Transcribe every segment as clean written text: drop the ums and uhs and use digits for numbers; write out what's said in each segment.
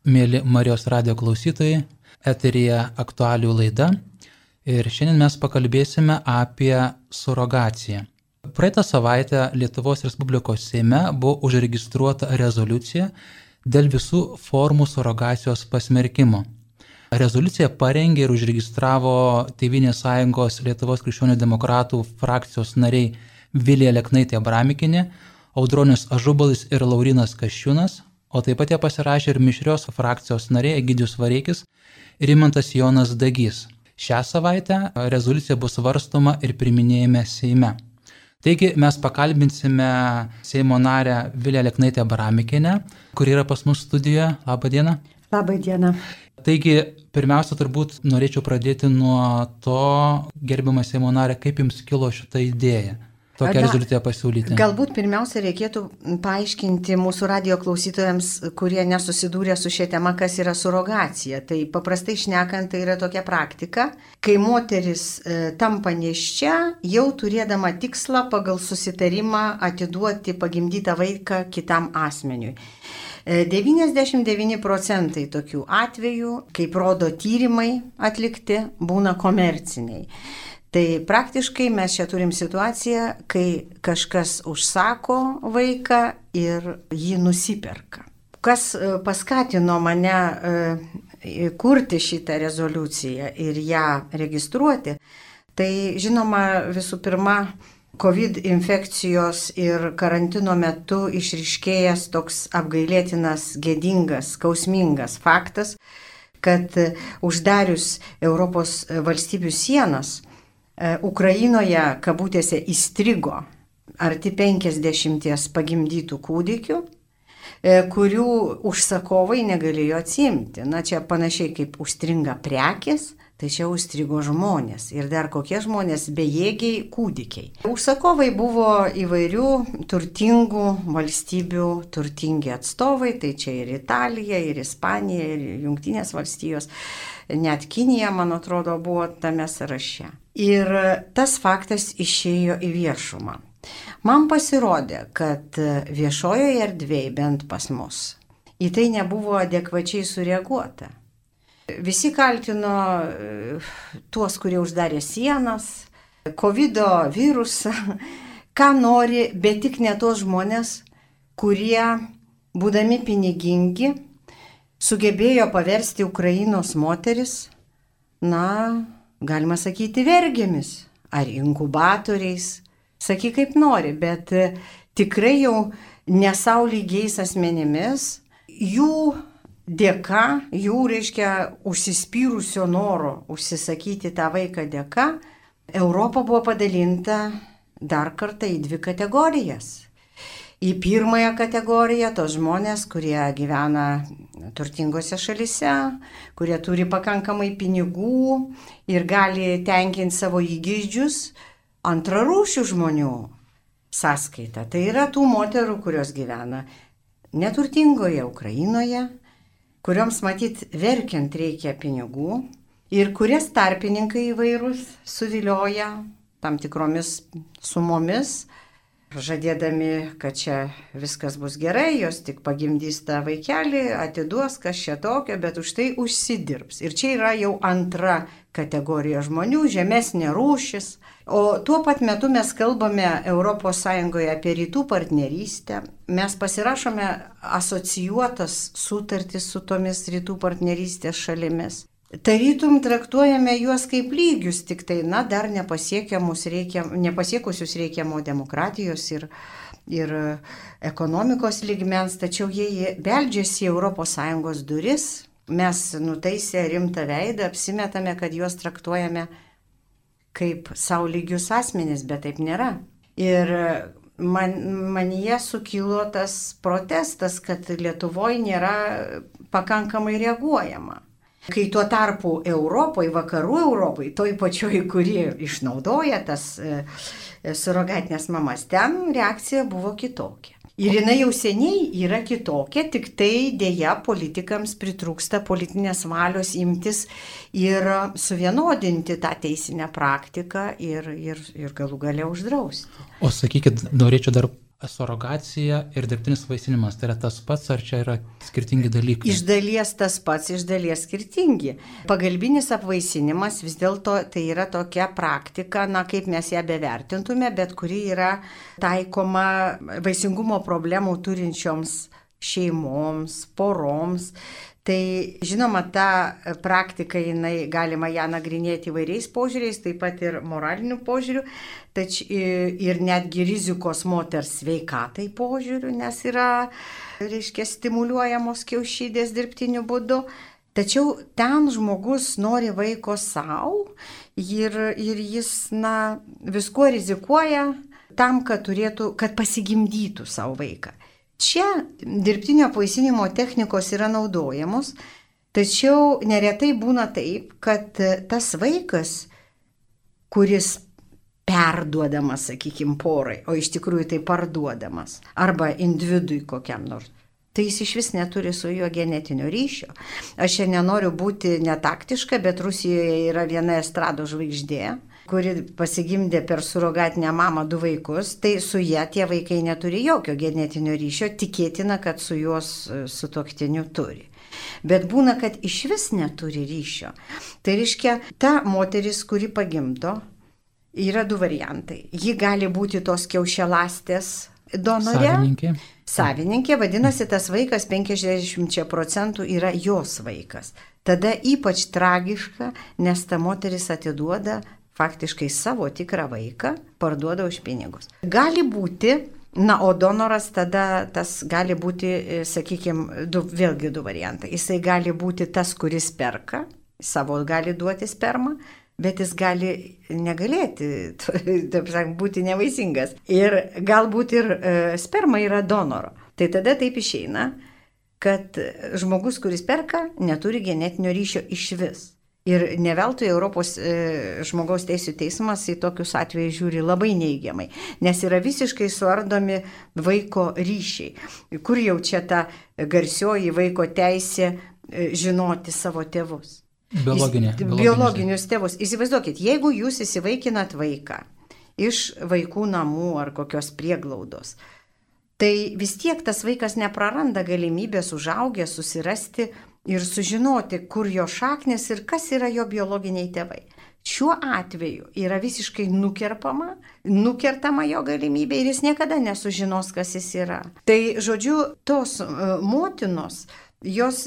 mėly Marijos radijo klausytojai, eteryje aktualijų laida ir šiandien mes pakalbėsime apie surogaciją. Praeitą savaitę Lietuvos Respublikos Seime buvo užregistruota rezoliucija dėl visų formų surogacijos pasmerkimo. Rezoliuciją parengė ir užregistravo Tėvynės sąjungos Lietuvos krikščionių demokratų frakcijos nariai Vilija Leknaitė Abramikienė, Audronius Ažubalis ir Laurynas Kasčiūnas, o taip pat ją pasirašė ir mišrios frakcijos nariai Egidijus Vareikis ir Rimantas Jonas Dagys. Šią savaitę rezoliucija bus svarstoma ir priiminėjame Seime. Taigi mes pakalbinsime Seimo narę Viliją Leknaitę Abramikienę, kuri yra pas mus studijoje. Labą dieną. Labą dieną. Taigi, pirmiausia, turbūt norėčiau pradėti nuo to, gerbiama Seimo narė, kaip jums kilo šita idėja tokią rezoliuciją pasiūlyti. Galbūt pirmiausia reikėtų paaiškinti mūsų radijo klausytojams, kurie nesusidūrė su šia tema, kas yra surogacija. Tai paprastai šnekant, tai yra tokia praktika, kai moteris tampa nėščia, jau turėdama tikslą pagal susitarimą atiduoti pagimdytą vaiką kitam asmeniui. 99% tokių atvejų, kaip rodo tyrimai atlikti, būna komerciniai. Tai praktiškai mes čia turim situaciją, kai kažkas užsako vaiką ir jį nusiperka. Kas paskatino mane kurti šitą rezoliuciją ir ją registruoti, tai žinoma visų pirma, COVID infekcijos ir karantino metu išryškėjęs toks apgailėtinas, gėdingas, skausmingas faktas, kad uždarius Europos valstybių sienas, Ukrainoje, kabutėse, įstrigo arti 50 pagimdytų kūdikių, kurių užsakovai negalėjo atsiimti. Na, čia panašiai kaip užstringa prekės, tai čia užstrigo žmonės. Ir dar kokie žmonės, bejėgiai kūdikiai. Užsakovai buvo įvairių turtingų valstybių turtingi atstovai, tai čia ir Italija, ir Ispanija, ir Jungtinės valstijos. Net Kinija, man atrodo, buvo tame sąraše. Ir tas faktas išėjo į viešumą. Man pasirodė, kad viešojoje erdvėje, bent pas mus, į tai nebuvo adekvačiai sureaguota. Visi kaltino tuos, kurie uždarė sienas, COVID virusą, ką nori, bet tik ne tos žmonės, kurie, būdami pinigingi, sugebėjo paversti Ukrainos moteris, galima sakyti, vergėmis ar inkubatoriais, sakyk kaip nori, bet tikrai jau nesaulygiais asmenimis, jų dėka, jų, reiškia, užsispyrusio noro užsisakyti tą vaiką dėka, Europa buvo padalinta dar kartą į 2 kategorijas. Į pirmąją kategoriją tos žmonės, kurie gyvena turtingose šalise, kurie turi pakankamai pinigų ir gali tenkinti savo įgeidžius, antrarūšių žmonių sąskaita. Tai yra tų moterų, kurios gyvena neturtingoje Ukrainoje, kurioms matyt verkiant reikia pinigų ir kurias tarpininkai įvairūs suvilioja tam tikromis sumomis, žadėdami, kad čia viskas bus gerai, jos tik pagimdys tą vaikelį, atiduos kas čia tokio, bet už tai užsidirbs. Ir čia yra jau antra kategorija žmonių, žemesnė rūšis. O tuo pat metu mes kalbame ES apie rytų partnerystę. Mes pasirašome asocijuotas sutartis su tomis rytų partnerystės šalimis. Tarytum traktuojame juos kaip lygius, tik tai, dar nepasiekusius reikiamo demokratijos ir ekonomikos lygmens, tačiau jie beldžiasi į ES duris, mes nutaisę rimtą veidą, apsimetame, kad juos traktuojame kaip savo lygius asmenis, bet taip nėra. Ir manyje sukilo tas protestas, kad Lietuvoje nėra pakankamai reaguojama. Kai tuo tarpu Europoje, vakarų Europoje, toj pačioj, kuri išnaudoja tas surogatinės mamas, ten reakcija buvo kitokia. Ir jinai jau seniai yra kitokia, tik tai dėja politikams pritrūksta politinės valios imtis ir suvienodinti tą teisinę praktiką ir galų gale uždrausti. O sakykit, norėčiau dar Surogacija ir dirbtinis vaisinimas, tai yra tas pats, ar čia yra skirtingi dalykai? Iš dalies tas pats, iš dalies skirtingi. Pagalbinis apvaisinimas vis dėlto tai yra tokia praktika, kaip mes ją bevertintume, bet kuri yra taikoma vaisingumo problemų turinčioms šeimoms, poroms. Tai žinoma, ta praktika, galima ją nagrinėti įvairiais požiūriais, taip pat ir moraliniu požiūriu, ir netgi rizikos moters sveikatai požiūriu, nes yra, stimuliuojamos kiaušidės dirbtiniu būdu. Tačiau ten žmogus nori vaiko savo ir jis, viskuo rizikuoja tam, kad pasigimdytų savo vaiką. Čia dirbtinio apvaisinimo technikos yra naudojamos, tačiau neretai būna taip, kad tas vaikas, kuris perduodamas, porai, o iš tikrųjų tai parduodamas, arba individui kokiam nors, tai jis iš vis neturi su juo genetinio ryšio. Aš čia nenoriu būti netaktiška, bet Rusijoje yra viena estrado žvaigždė, kuri pasigimdė per surogatinę mamą 2 vaikus, tai su ja tie vaikai neturi jokio genetinio ryšio, tikėtina, kad su jos sutuoktiniu turi. Bet būna, kad iš vis neturi ryšio. Tai reiškia, ta moteris, kuri pagimdo, yra 2 variantai. Ji gali būti tos kiaušialastės donorė. Savininkė, vadinasi, tas vaikas 50% yra jos vaikas. Tada ypač tragiška, nes ta moteris atiduoda faktiškai savo tikrą vaiką, parduoda už pinigus. Gali būti, o donoras tada tas gali būti, vėlgi 2 variantai. Jisai gali būti tas, kuris perka, savo gali duoti spermą, bet jis gali negalėti, būti nevaisingas. Ir galbūt ir sperma yra donoro. Tai tada taip išeina, kad žmogus, kuris perka, neturi genetinio ryšio iš vis. Ir ne veltui Europos žmogaus teisių teismas į tokius atvejus žiūri labai neigiamai, nes yra visiškai suardomi vaiko ryšiai. Kur jau čia ta garsioji vaiko teisė žinoti savo tėvus? Biologinius tėvus. Įsivaizduokit, jeigu jūs įsivaikinat vaiką iš vaikų namų ar kokios prieglaudos, tai vis tiek tas vaikas nepraranda galimybės užaugęs susirasti ir sužinoti, kur jo šaknis ir kas yra jo biologiniai tėvai. Šiuo atveju yra visiškai nukertama jo galimybė ir jis niekada nesužinos, kas jis yra. Tai, žodžiu, tos motinos, jos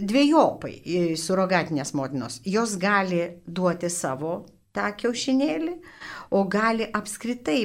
dvejopai, surogatinės motinos, jos gali duoti savo tą kiaušinėlį, o gali apskritai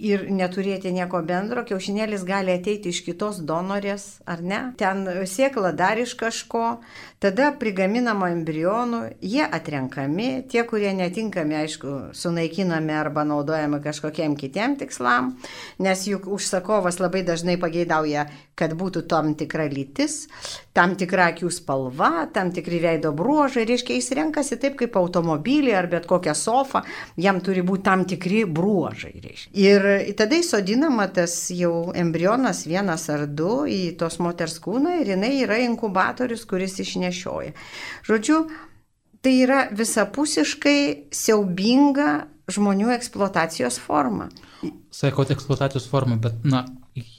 ir neturėti nieko bendro, kiaušinėlis gali ateiti iš kitos donorės, ar ne? Ten sėkla dar iš kažko, tada prigaminama embrionų, jie atrenkami, tie, kurie netinkami, aišku, sunaikinami arba naudojami kažkokiem kitiem tikslam, nes juk užsakovas labai dažnai pageidauja, kad būtų tam tikra lytis, tam tikra akių spalva, tam tikri veido bruožai, reiškia, jis renkasi taip kaip automobilį ar bet kokią sofą, jam turi būti tam tikri bruožai. Reiškia. Ir tada įsodinama tas jau embrionas 1 ar 2 į tos moters kūną ir jinai yra inkubatorius, kuris išnešioja. Žodžiu, tai yra visapusiškai siaubinga žmonių eksploatacijos forma. Sakote eksploatacijos forma, bet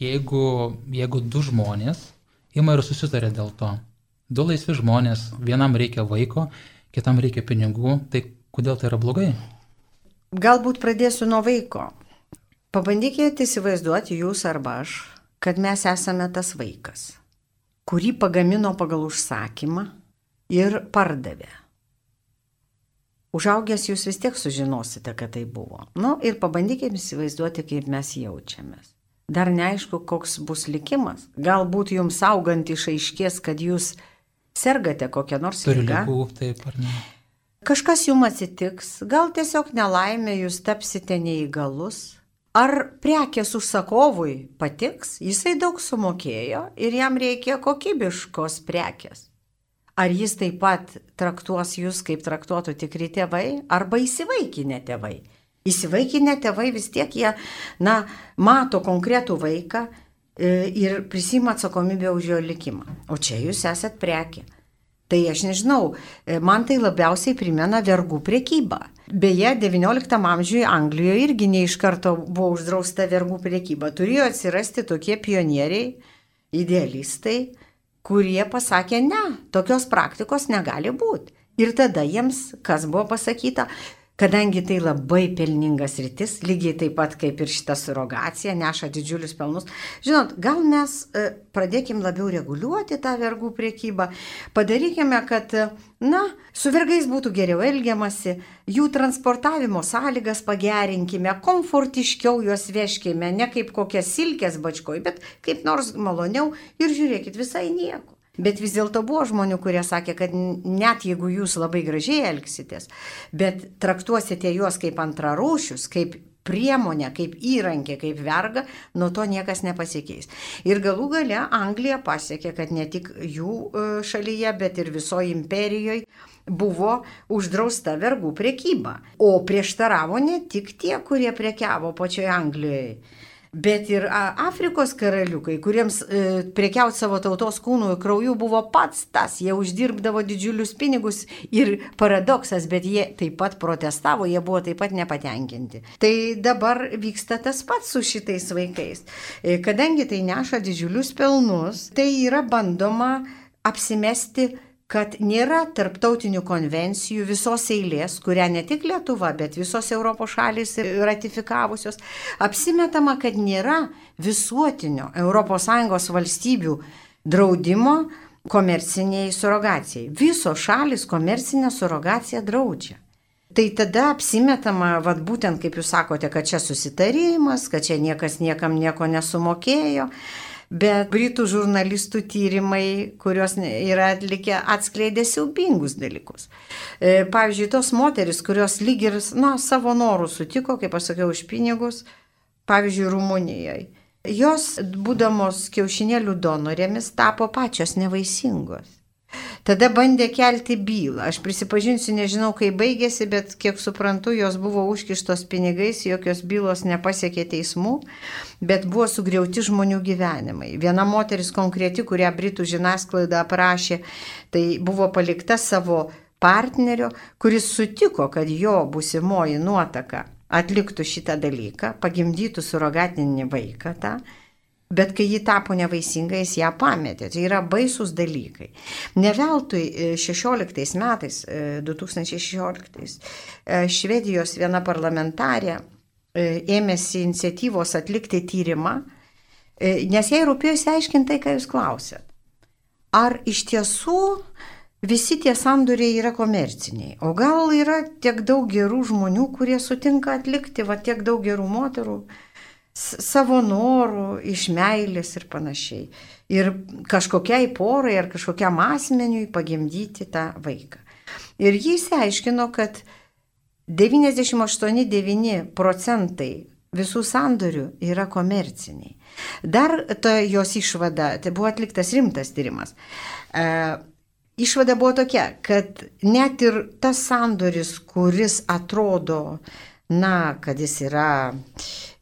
jeigu 2 žmonės ima ir susitarė dėl to, 2 laisvi žmonės, vienam reikia vaiko, kitam reikia pinigų, tai kodėl tai yra blogai? Galbūt pradėsiu nuo vaiko. Pabandykite įsivaizduoti jūs arba aš, kad mes esame tas vaikas, kurį pagamino pagal užsakymą ir pardavė. Užaugęs jūs vis tiek sužinosite, kad tai buvo. Ir pabandykime įsivaizduoti, kaip mes jaučiamės. Dar neaišku, koks bus likimas. Galbūt jums augant išaiškės, kad jūs sergate kokią nors ligą. Turi ligų, taip ar ne? Kažkas jums atsitiks, gal tiesiog nelaimė, jūs tapsite neįgalus. Ar prekės užsakovui patiks, jisai daug sumokėjo ir jam reikia kokybiškos prekės. Ar jis taip pat traktuos jūs, kaip traktuotų tikri tėvai, arba įsivaikinę tėvai. Įsivaikinę tėvai vis tiek jie, mato konkretų vaiką ir prisima atsakomybę už jo likimą. O čia jūs esat prekė. Tai aš nežinau, man tai labiausiai primena vergų prekybą. Beje, XIX amžiuje Anglijoje irgi ne iš karto buvo uždrausta vergų prekyba. Turėjo atsirasti tokie pionieriai, idealistai, kurie pasakė, ne, tokios praktikos negali būti. Ir tada jiems, kas buvo pasakyta, kadangi tai labai pelningas rytis, lygiai taip pat kaip ir šita surogacija, neša didžiulius pelnus. Žinot, gal mes pradėkim labiau reguliuoti tą vergų priekybą, padarykime, kad, su vergais būtų geriau elgiamasi, jų transportavimo sąlygas pagerinkime, komfortiškiau juos veškime, ne kaip kokias silkės bačkoj, bet kaip nors maloniau ir žiūrėkit, visai nieko. Bet vis dėlto buvo žmonių, kurie sakė, kad net jeigu jūs labai gražiai elgsitės, bet traktuosite juos kaip antrarūšius, kaip priemonę, kaip įrankį, kaip vergą, nuo to niekas nepasikeis. Ir galų gale Anglija pasiekė, kad ne tik jų šalyje, bet ir visoje imperijoje buvo uždrausta vergų prekyba. O prieštaravo ne tik tie, kurie prekiavo pačioje Anglijoje, bet ir Afrikos karaliukai, kuriems prekiauti savo tautos kūnų ir krauju buvo pats tas, jie uždirbdavo didžiulius pinigus ir paradoksas, bet jie taip pat protestavo, jie buvo taip pat nepatenkinti. Tai dabar vyksta tas pats su šitais vaikais. Kadangi tai neša didžiulius pelnus, tai yra bandoma apsimesti, kad nėra tarptautinių konvencijų visos eilės, kurią ne tik Lietuva, bet visos Europos šalys ratifikavusios, apsimetama, kad nėra visuotinio ES valstybių draudimo komerciniai surogacijai. Visos šalis komercinę surogaciją draudžia. Tai tada apsimetama, būtent kaip jūs sakote, kad čia susitarimas, kad čia niekas niekam nieko nesumokėjo. Bet britų žurnalistų tyrimai, kuriuos yra atlikę, atskleidė siaubingus dalykus. Pavyzdžiui, tos moteris, kurios lyg ir savo norų sutiko, kaip aš sakiau, už pinigus, pavyzdžiui, Rumunijoje. Jos, būdamos kiaušinėlių donorėmis, tapo pačios nevaisingos. Tada bandė kelti bylą. Aš prisipažinsiu, nežinau, kaip baigėsi, bet kiek suprantu, jos buvo užkištos pinigais, jokios bylos nepasiekė teismų, bet buvo sugriauti žmonių gyvenimai. Viena moteris konkreti, kurią britų žiniasklaida aprašė, tai buvo palikta savo partnerio, kuris sutiko, kad jo būsimoji nuotaka atliktų šitą dalyką, pagimdytų surogatinį vaiką tą. Bet kai ji tapo nevaisinga, jis ją pametė. Tai yra baisus dalykai. Ne veltui 16 metais, 2016, Švedijos viena parlamentarė ėmėsi iniciatyvos atlikti tyrimą, nes jai rūpėjo išsiaiškinti tai, ką jūs klausėt. Ar iš tiesų visi tie sandoriai yra komerciniai? O gal yra tiek daug gerų žmonių, kurie sutinka atlikti, tiek daug gerų moterų, savo norų, iš meilės ir panašiai. Ir kažkokiai porai ar kažkokiam asmeniui pagimdyti tą vaiką. Ir jis aiškino, kad 98,9% visų sandorių yra komerciniai. Dar ta jos išvada, tai buvo atliktas rimtas tyrimas. Išvada buvo tokia, kad net ir tas sandoris, kuris atrodo, kad jis yra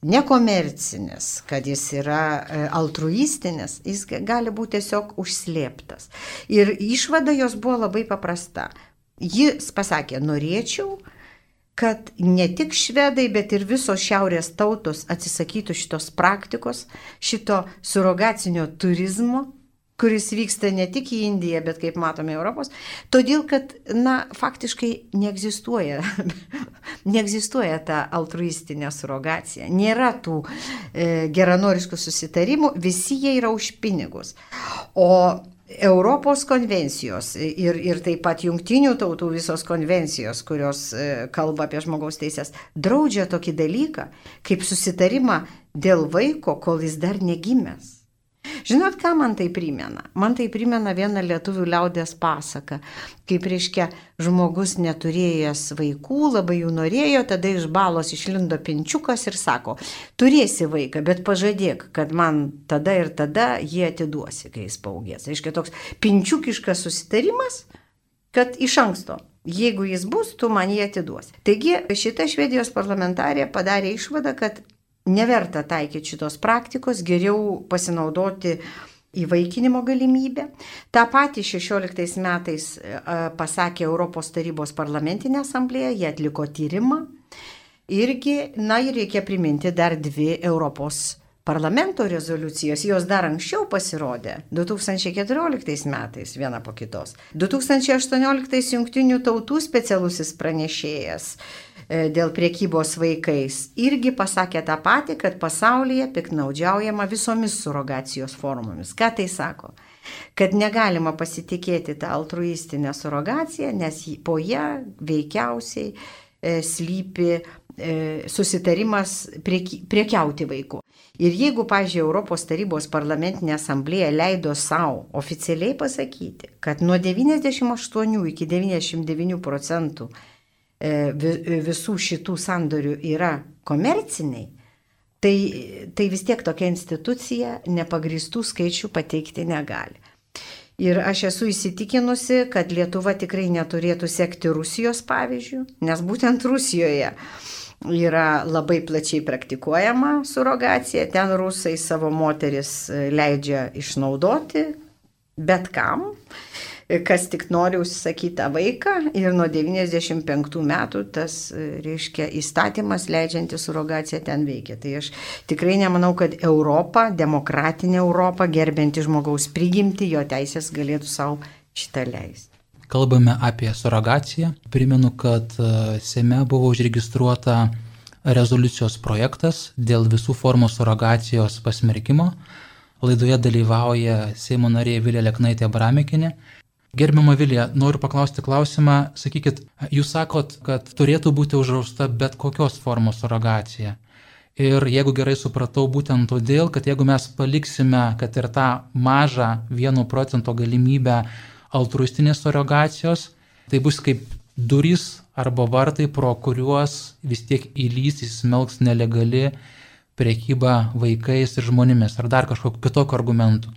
nekomercinis, kad jis yra altruistinis, jis gali būti tiesiog užslėptas. Ir išvada jos buvo labai paprasta. Jis pasakė, norėčiau, kad ne tik švedai, bet ir visos šiaurės tautos atsisakytų šitos praktikos, šito surogacinio turizmo, kuris vyksta ne tik į Indiją, bet kaip matome Europos, todėl, kad, faktiškai neegzistuoja ta altruistinė surogacija, nėra tų geranoriškų susitarimų, visi jie yra už pinigus. O Europos konvencijos ir taip pat jungtinių tautų visos konvencijos, kurios kalba apie žmogaus teisės, draudžia tokį dalyką, kaip susitarimą dėl vaiko, kol jis dar negimęs. Žinot, ką man tai primena? Man tai primena vieną lietuvių liaudies pasaką, kaip reiškia žmogus neturėjęs vaikų, labai jų norėjo, tada iš balos išlindo pinčiukas ir sako, turėsi vaiką, bet pažadėk, kad man tada ir tada jį atiduosi, kai jis paugės. Reiškia toks pinčiukiškas susitarimas, kad iš anksto, jeigu jis bus, tu man jį atiduosi. Taigi šita Švedijos parlamentarė padarė išvadą, kad neverta taikyti šitos praktikos, geriau pasinaudoti įvaikinimo galimybę. Ta pati 16 metais pasakė Europos tarybos parlamentinė asamblėja, jie atliko tyrimą. Irgi, ir reikia priminti dar 2 Europos parlamento rezoliucijos, jos dar anksčiau pasirodė, 2014 metais, viena po kitos. 2018 Jungtinių tautų specialusis pranešėjas dėl priekybos vaikais irgi pasakė tą patį, kad pasaulyje piktnaudžiaujama visomis surogacijos formomis. Ką tai sako? Kad negalima pasitikėti tą altruistinę surogaciją, nes po ją veikiausiai slypi susitarimas priekiauti vaikų. Ir jeigu, pavyzdžiui, Europos tarybos parlamentinė asamblėja leido savo oficialiai pasakyti, kad nuo 98 iki 99% visų šitų sandorių yra komerciniai, tai vis tiek tokia institucija nepagristų skaičių pateikti negali. Ir aš esu įsitikinusi, kad Lietuva tikrai neturėtų sekti Rusijos pavyzdžių, nes būtent Rusijoje yra labai plačiai praktikuojama surogacija, ten rusai savo moteris leidžia išnaudoti bet kam, kas tik nori užsisakyti tą vaiką, ir nuo 95 metų tas, reiškia, įstatymas leidžiantis surogaciją ten veikia. Tai aš tikrai nemanau, kad Europa, demokratinė Europa, gerbianti žmogaus prigimtį, jo teisės galėtų savo šitą leisti. Kalbame apie surogaciją. Primenu, kad Seime buvo užregistruota rezoliucijos projektas dėl visų formų surogacijos pasmerkimo. Laidoje dalyvauja Seimo narė Vilija Leknaitė-Abramikienė. Gerbiama Vilija, noriu paklausti klausimą. Sakykit, jūs sakot, kad turėtų būti uždrausta bet kokios formos surogacija. Ir jeigu gerai supratau, būtent todėl, kad jeigu mes paliksime, kad ir tą mažą 1% galimybę altruistinės surogacijos, tai bus kaip durys arba vartai, pro kuriuos vis tiek įsmelks nelegali prekyba vaikais ir žmonėmis, ar dar kažkokiu kitokiu argumentu.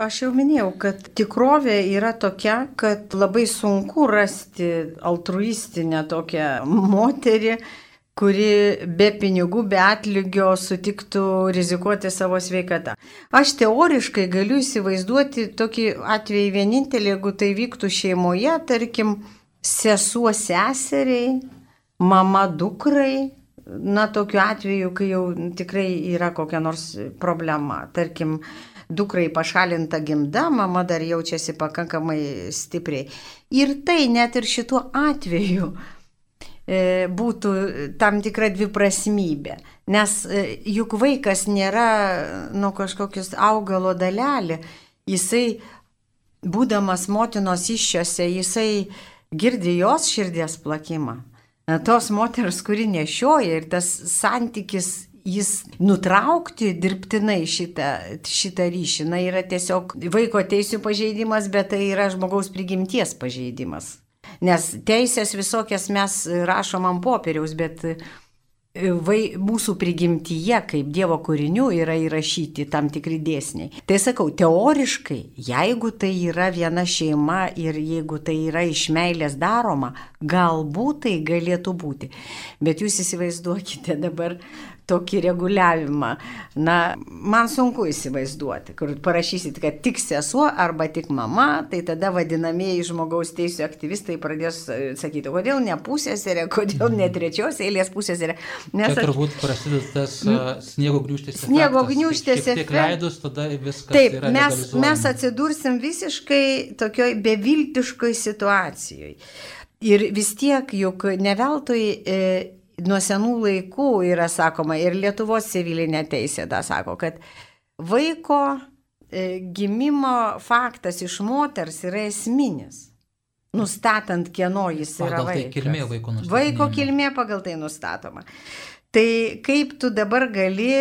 Aš jau minėjau, kad tikrovė yra tokia, kad labai sunku rasti altruistinę tokią moterį, kuri be pinigų, be atlygio sutiktų rizikuoti savo sveikatą. Aš teoriškai galiu įsivaizduoti tokį atvejį vienintelį, jeigu tai vyktų šeimoje, tarkim, sesuo seseriai, mama dukrai, tokiu atveju, kai jau tikrai yra kokia nors problema. Tarkim, dukrai pašalinta gimda, mama dar jaučiasi pakankamai stipriai. Ir tai net ir šituo atveju būtų tam tikra dviprasmybė, nes juk vaikas nėra kažkokius augalo dalelė, jisai, būdamas motinos įsčiose, jisai girdi jos širdies plakimą, tos moters, kuri nešioja, ir tas santykis, jis nutraukti dirbtinai šitą ryšį, yra tiesiog vaiko teisių pažeidimas, bet tai yra žmogaus prigimties pažeidimas. Nes teisės visokias mes rašom ant popieriaus, bet mūsų prigimtyje, kaip Dievo kūrinių, yra įrašyti tam tikri dėsniai. Tai sakau, teoriškai, jeigu tai yra viena šeima ir jeigu tai yra iš meilės daroma, galbūt tai galėtų būti. Bet jūs įsivaizduokite dabar tokį reguliavimą. Man sunku įsivaizduoti, kur parašysit, kad tik sesuo arba tik mama, tai tada vadinamieji žmogaus teisų aktyvistai pradės sakyti, kodėl ne pusseserė, kodėl ne trečios eilės pusseserė. Čia turbūt prasideda tas sniego gniūžtės efektas. Sniego gniūžtės efektas. Šiek tiek leidus, tada viskas taip, yra legalizuojama. Mes atsidursim visiškai tokioj beviltiškoj situacijoje. Ir vis tiek, juk ne veltui nuo senų laikų yra sakoma, ir Lietuvos civilinė teisė sako, kad vaiko gimimo faktas iš moters yra esminis, nustatant, kieno jis yra vaikas. Pagal tai kilmė vaiko nustatoma. Vaiko kilmė pagal tai nustatoma. Tai kaip tu dabar gali,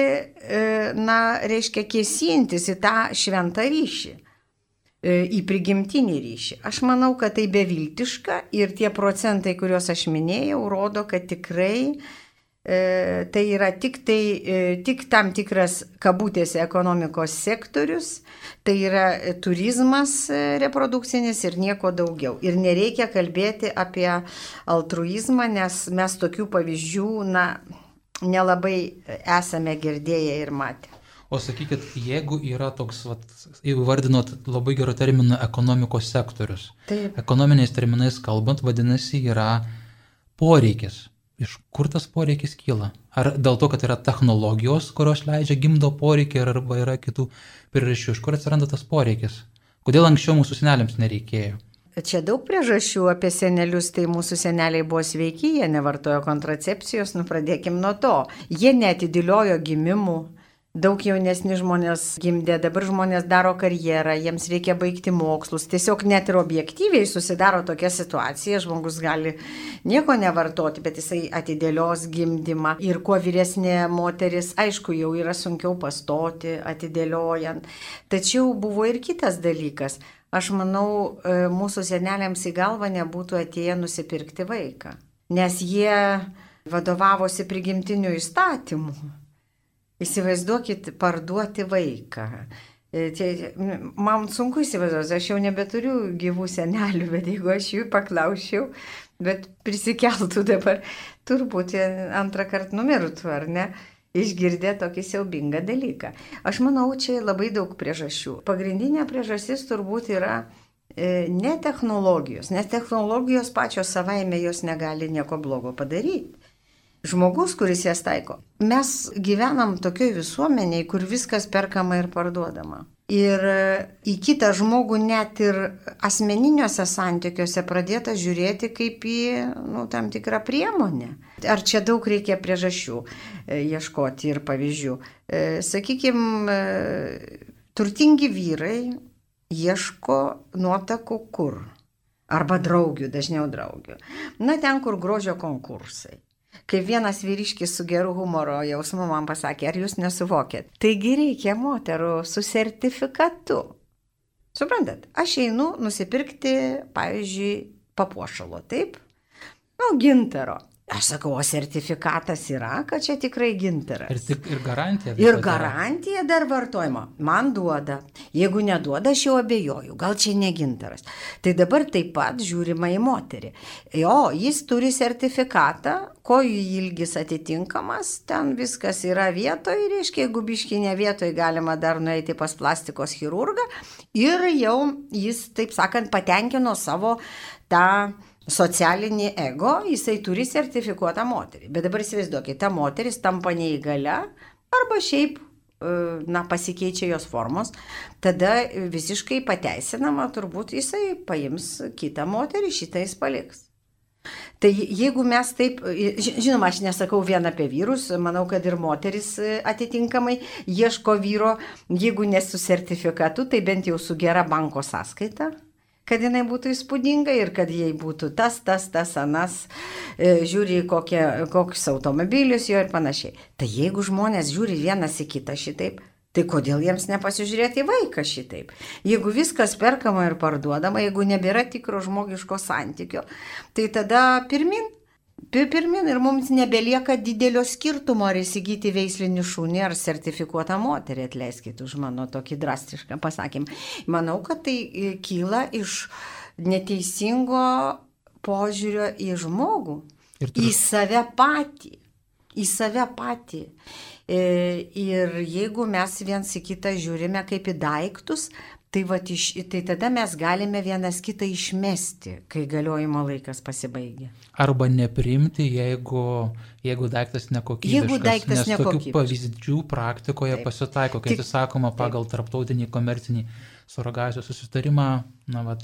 reiškia, kėsintis į tą šventą ryšį, į prigimtinį ryšį. Aš manau, kad tai beviltiška, ir tie procentai, kuriuos aš minėjau, rodo, kad tikrai tai yra tik tam tikras kabutėse ekonomikos sektorius, tai yra turizmas reprodukcinis ir nieko daugiau. Ir nereikia kalbėti apie altruizmą, nes mes tokių pavyzdžių nelabai esame girdėję ir matę. O sakykit, jeigu yra toks, įvardinot labai gerą terminą ekonomikos sektorius. Taip. Ekonominiais terminais kalbant, vadinasi, yra poreikis. Iš kur tas poreikis kyla? Ar dėl to, kad yra technologijos, kurios leidžia gimdo poreikį, arba yra kitų priežasčių? Iš kur atsiranda tas poreikis? Kodėl anksčiau mūsų seneliams nereikėjo? Čia daug priežasčių apie senelius, tai mūsų seneliai buvo sveiki, jie nevartojo kontracepcijos, pradėkim nuo to. Jie neatidėliojo gimimų. Daug jaunesni žmonės gimdė, dabar žmonės daro karjerą, jiems reikia baigti mokslus. Tiesiog net ir objektyviai susidaro tokia situacija, žmogus gali nieko nevartoti, bet jisai atidėlios gimdymą. Ir kuo vyresnė moteris, aišku, jau yra sunkiau pastoti, atidėliojant. Tačiau buvo ir kitas dalykas. Aš manau, mūsų seneliams į galvą nebūtų atėję nusipirkti vaiką, nes jie vadovavosi prigimtiniu įstatymu. Įsivaizduokit, parduoti vaiką. Man sunku įsivaizduoti, aš jau nebeturiu gyvų senelių, bet jeigu aš jų paklausčiau, bet prisikeltų dabar, turbūt antrą kartą numirtų, ar ne, išgirdę tokį siaubingą dalyką. Aš manau, čia labai daug priežasčių. Pagrindinė priežastis turbūt yra ne technologijos, nes technologijos pačios savaime jos negali nieko blogo padaryti. Žmogus, kuris jas taiko. Mes gyvenam tokioj visuomeniai, kur viskas perkama ir parduodama. Ir į kitą žmogų net ir asmeniniuose santykiuose pradėta žiūrėti kaip į tam tikrą priemonę. Ar čia daug reikia priežasčių ieškoti ir pavyzdžių. Sakykime, turtingi vyrai ieško nuotakų kur? Arba draugių, dažniau draugių. Ten, kur grožio konkursai. Kaip vienas vyriškis su geru humoro jausmu man pasakė, ar jūs nesuvokėt? Taigi reikia moterų su sertifikatu. Suprantat, aš einu nusipirkti, pavyzdžiui, papuošalo, taip? Gintaro. Aš sakau, o sertifikatas yra, kad čia tikrai gintaras. Ir garantija. Ir garantija dar vartojimo. Man duoda. Jeigu neduoda, aš jau abejoju. Gal čia ne gintaras. Tai dabar taip pat žiūrima į moterį. Jo, jis turi sertifikatą, kojų ilgis atitinkamas, ten viskas yra vietoj, reiškia, jeigu biški ne vietoj, galima dar nueiti pas plastikos chirurgą. Ir jau jis, taip sakant, patenkino savo tą socialinį ego, jisai turi sertifikuotą moterį. Bet dabar įsivaizduokite, ta moteris tampa neįgalia arba šiaip, pasikeičia jos formos, tada visiškai pateisinama, turbūt jisai paims kitą moterį, šitą jis paliks. Tai jeigu mes taip, žinoma, aš nesakau vien apie vyrus, manau, kad ir moteris atitinkamai ieško vyro, jeigu ne su sertifikatu, tai bent jau su gera banko sąskaita, kad jinai būtų įspūdinga ir kad jai būtų tas, anas, žiūri kokius automobilius jo ir panašiai. Tai jeigu žmonės žiūri vienas į kitą šitaip, tai kodėl jiems nepasižiūrėti į vaiką šitaip? Jeigu viskas perkama ir parduodama, jeigu nebėra tikro žmogiško santykio, tai tada pirmin ir mums nebelieka didelio skirtumo ar įsigyti veislinį šunį ar sertifikuotą moterį, atleiskit už mano tokį drastišką pasakymą. Manau, kad tai kyla iš neteisingo požiūrio į žmogų, į save patį. Ir jeigu mes viens į kitą žiūrime kaip į daiktus, tai tada mes galime vienas kitą išmesti, kai galiojimo laikas pasibaigia. Arba nepriimti, jeigu daiktas nekokybiškas. Nes tokių pavyzdžių praktikoje pasitaiko, kai sakoma pagal tarptautinį komercinį suragacijos susitarimą,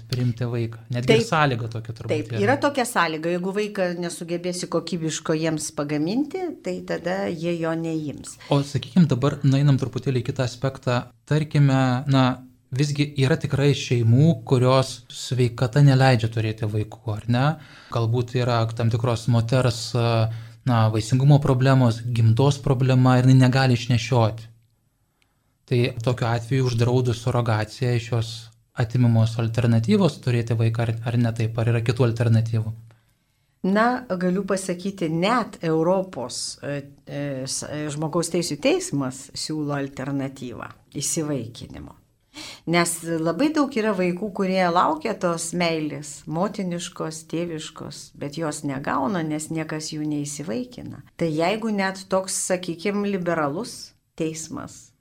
priimti vaiką. Netgi sąlyga tokia turbūt. Taip, yra tokia sąlyga, jeigu vaiką nesugebėsi kokybiško jiems pagaminti, tai tada jie jo neims. O sakykime, dabar nueinam truputėlį į kitą aspektą. Tarkime, visgi yra tikrai šeimų, kurios sveikata neleidžia turėti vaikų, ar ne? Galbūt yra tam tikros moters vaisingumo problemos, gimdos problema ir jinai negali išnešioti. Tai tokiu atveju uždraudus surogaciją iš jos atimamos alternatyvos turėti vaiką ar ne taip, ar yra kitų alternatyvų? Galiu pasakyti, net Europos žmogaus teisių teismas siūlo alternatyvą įsivaikinimo. Nes labai daug yra vaikų, kurie laukia tos meilės, motiniškos, tėviškos, bet jos negauna, nes niekas jų neįsivaikina. Tai jeigu net toks, sakykime, liberalus teismas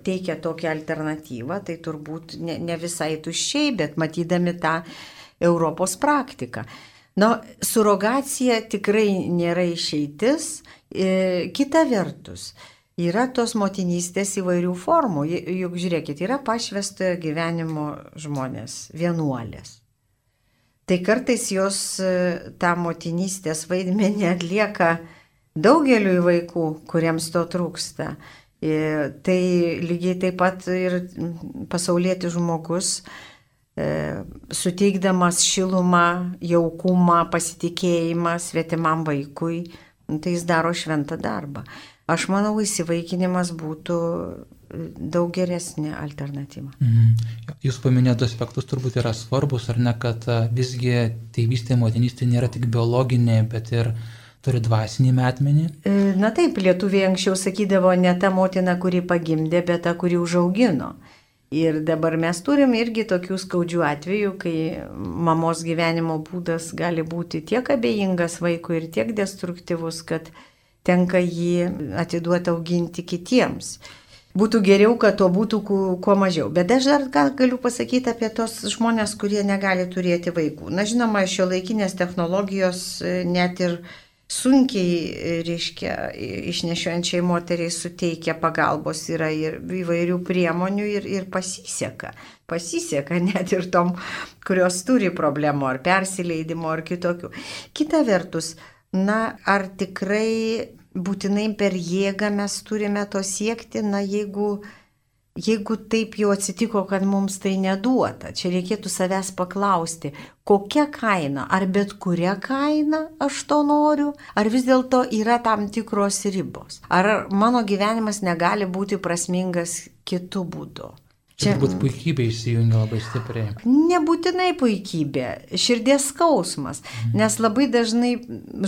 teikia tokią alternatyvą, tai turbūt ne visai tuščiai, bet matydami tą Europos praktiką. Surogacija tikrai nėra išeitis. Kita vertus, yra tos motinystės įvairių formų. Juk žiūrėkit, yra pašvęstojo gyvenimo žmonės, vienuolės. Tai kartais jos tą motinystės vaidmenį atlieka daugeliui vaikų, kuriems to trūksta. Tai lygiai taip pat ir pasaulietis žmogus, suteikdamas šilumą, jaukumą, pasitikėjimą svetimam vaikui, tai jis daro šventą darbą. Aš manau, įsivaikinimas būtų daug geresnė alternatyva. Jūs paminėjote aspektus turbūt yra svarbus, ar ne, kad visgi tėvystė, motinystė nėra tik biologinė, bet ir turi dvasinį metmenį? Na taip, lietuviai anksčiau sakydavo ne ta motina, kuri pagimdė, bet ta, kuri užaugino. Ir dabar mes turim irgi tokių skaudžių atvejų, kai mamos gyvenimo būdas gali būti tiek abejingas vaikui ir tiek destruktyvus, kad tenka jį atiduoti auginti kitiems. Būtų geriau, kad to būtų kuo mažiau. Bet aš dar galiu pasakyti apie tos žmonės, kurie negali turėti vaikų. Na, žinoma, šiuolaikinės technologijos net ir sunkiai, išnešiojančiai moteriai suteikia pagalbos, yra ir įvairių priemonių ir pasiseka. Pasiseka net ir tom, kurios turi problemų ar persileidimo ar kitokių. Kita vertus, ar tikrai būtinai per jėgą mes turime to siekti, jeigu taip jau atsitiko, kad mums tai neduota. Čia reikėtų savęs paklausti, kokia kaina, ar bet kuria kaina aš to noriu, ar vis dėlto yra tam tikros ribos. Ar mano gyvenimas negali būti prasmingas kitų būdų. Čia turbūt puikybė įsijungia labai stipriai. Nebūtinai puikybė, širdies skausmas, nes labai dažnai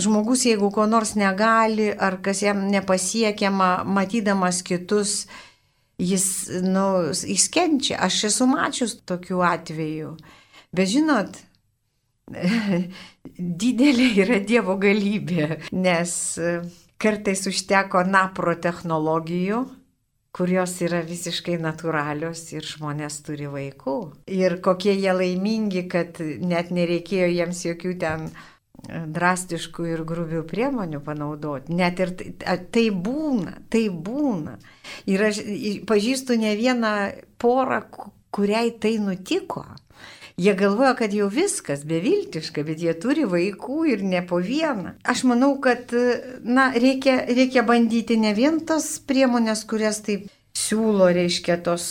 žmogus, jeigu ko nors negali, ar kas jam nepasiekiama, matydamas kitus, jis kenčia. Aš esu mačius tokių atvejų. Bet žinot, didelė yra Dievo galybė, nes kartais užteko napro technologijų, kurios yra visiškai natūralios ir žmonės turi vaikų. Ir kokie jie laimingi, kad net nereikėjo jiems jokių ten drastiškų ir grubių priemonių panaudoti. Net ir tai būna. Ir aš pažįstu ne vieną porą, kuriai tai nutiko. Jie galvoja, kad jau viskas beviltiška, bet jie turi vaikų ir ne po vieną. Aš manau, kad reikia bandyti ne vien tas priemonės, kurias taip siūlo, tos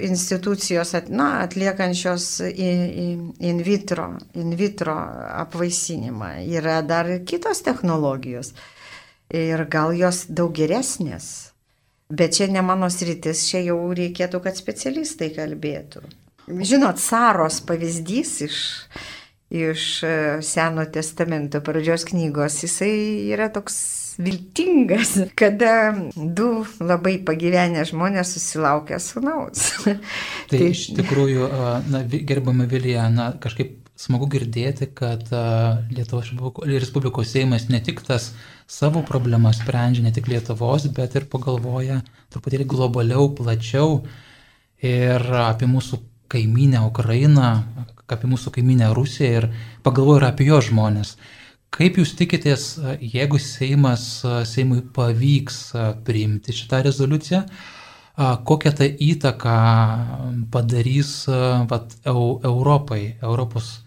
institucijos atliekančios in vitro apvaisinimą. Yra dar kitos technologijos ir gal jos daug geresnės. Bet čia ne mano sritis, čia jau reikėtų, kad specialistai kalbėtų. Žinot, Saros pavyzdys iš Seno testamento pradžios knygos, jisai yra toks viltingas, kada du labai pagyvenę žmonės susilaukia sūnaus. Tai iš tikrųjų, gerbama Vilija, kažkaip smagu girdėti, kad Lietuvos Respublikos Seimas ne tik tas savo problemas sprendžia, ne tik Lietuvos, bet ir pagalvoja truputėlį globaliau, plačiau ir apie mūsų kaimynę Ukrainą, apie mūsų kaimynę Rusiją ir pagalvoju ir apie jo žmonės. Kaip jūs tikitės, jeigu Seimui pavyks priimti šitą rezoliuciją, kokią tai įtaką padarys Europai, Europos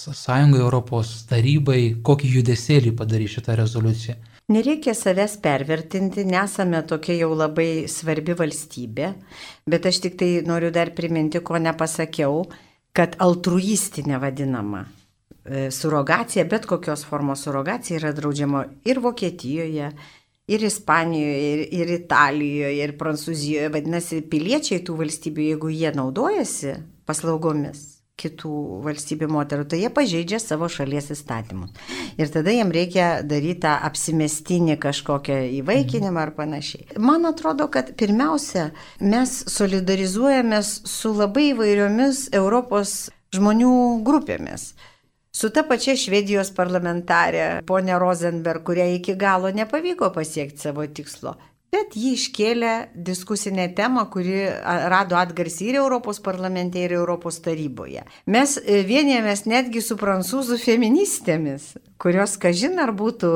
Sąjungai, Europos tarybai, kokį judesėlį padarys šitą rezoliuciją? Nereikia savęs pervertinti, nesame tokia jau labai svarbi valstybė, bet aš tik tai noriu dar priminti, ko nepasakiau, kad altruistinė vadinama surogacija, bet kokios formos surogacija yra draudžiama ir Vokietijoje, ir Ispanijoje, ir Italijoje, ir Prancūzijoje. Vadinasi, piliečiai tų valstybių, jeigu jie naudojasi paslaugomis kitų valstybių moterų, tai jie pažeidžia savo šalies įstatymus. Ir tada jiem reikia daryti tą apsimestinį kažkokią įvaikinimą ar panašiai. Man atrodo, kad pirmiausia, mes solidarizuojamės su labai įvairiomis Europos žmonių grupėmis. Su ta pačia Švedijos parlamentarė, ponia Rosenberg, kuriai iki galo nepavyko pasiekti savo tikslo. Bet jį iškėlė diskusinę temą, kuri rado atgarsį ir Europos parlamente, ir Europos taryboje. Mes vienijamės netgi su prancūzų feministėmis, kurios, kažin ar būtų,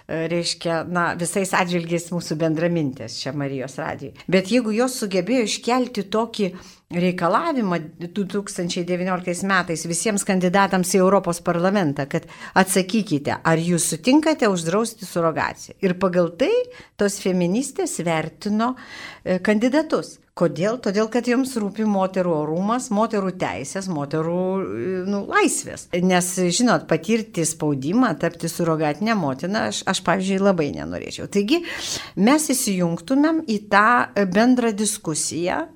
reiškia, visais atžvilgiais mūsų bendramintės čia Marijos radijui. Bet jeigu jos sugebėjo iškelti tokį reikalavimą 2019 metais visiems kandidatams į Europos parlamentą, kad atsakykite, ar jūs sutinkate uždrausti surogaciją. Ir pagal tai tos feministės vertino kandidatus. Kodėl? Todėl, kad joms rūpi moterų orumas, moterų teisės, moterų laisvės. Nes, žinot, patirti spaudimą, tapti surogatinę motiną, aš pavyzdžiui, labai nenorėčiau. Taigi, mes įsijungtumėm į tą bendrą diskusiją,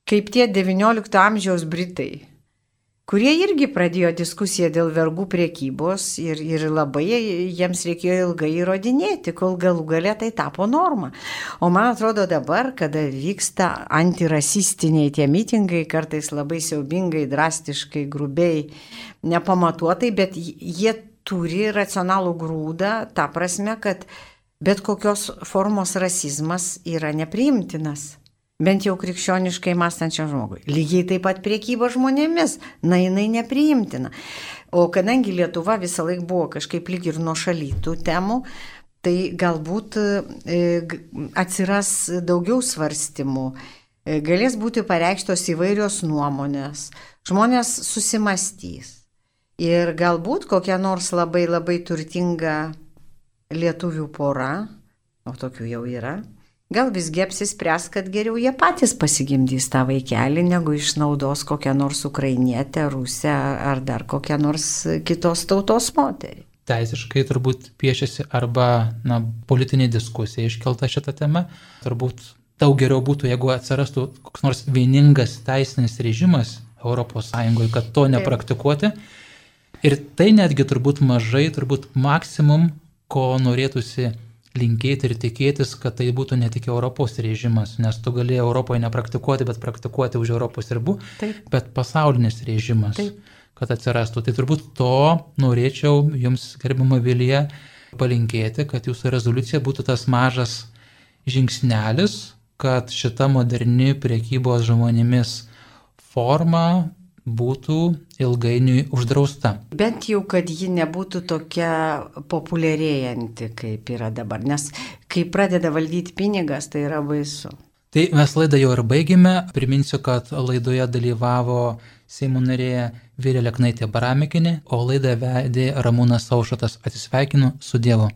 kaip tie XIX amžiaus Britai, kurie irgi pradėjo diskusiją dėl vergų priekybos ir labai jiems reikėjo ilgai įrodinėti, kol galų gale tai tapo norma. O man atrodo dabar, kada vyksta antirasistiniai tie mitingai, kartais labai siaubingai, drastiškai, grubiai, nepamatuotai, bet jie turi racionalų grūdą, ta prasme, kad bet kokios formos rasizmas yra nepriimtinas. Bent jau krikščioniškai mąstančiam žmogui. Lygiai taip pat priekyba žmonėmis, jinai nepriimtina. O kadangi Lietuva visą laiką buvo kažkaip lyg ir nuošaly tų temų, tai galbūt atsiras daugiau svarstymų, galės būti pareikštos įvairios nuomonės, žmonės susimastys. Ir galbūt kokia nors labai labai turtinga lietuvių pora, o tokių jau yra, gal visgi apsispręs, kad geriau jie patys pasigimdys tą vaikelį, negu išnaudos kokią nors ukrainietę, rusę ar dar kokią nors kitos tautos moterį. Teisiškai turbūt piešiasi arba politinė diskusija iškelta šitą temą. Turbūt daug geriau būtų, jeigu atsirastų koks nors vieningas teisinis režimas ES, kad to nepraktikuoti. Ir tai netgi turbūt mažai, turbūt maksimum, ko norėtųsi linkėti ir tikėtis, kad tai būtų ne tik Europos režimas, nes tu gali Europoje nepraktikuoti, bet praktikuoti už Europos ribų, bet pasaulinis režimas, kad atsirastų. Tai turbūt to norėčiau jums, gerbiama Vilija, palinkėti, kad jūsų rezoliucija būtų tas mažas žingsnelis, kad šita moderni prekybos žmonėmis forma būtų ilgainiui uždrausta. Bent jau, kad ji nebūtų tokia populiarėjanti, kaip yra dabar, nes kai pradeda valdyti pinigas, tai yra baisu. Tai mes laidą jau ir baigėme. Priminsiu, kad laidoje dalyvavo Seimo narė Vilija Leknaitė Baramikinė, o laidą vedė Ramūnas Aušrotas. Atsisveikinu, su Dievu.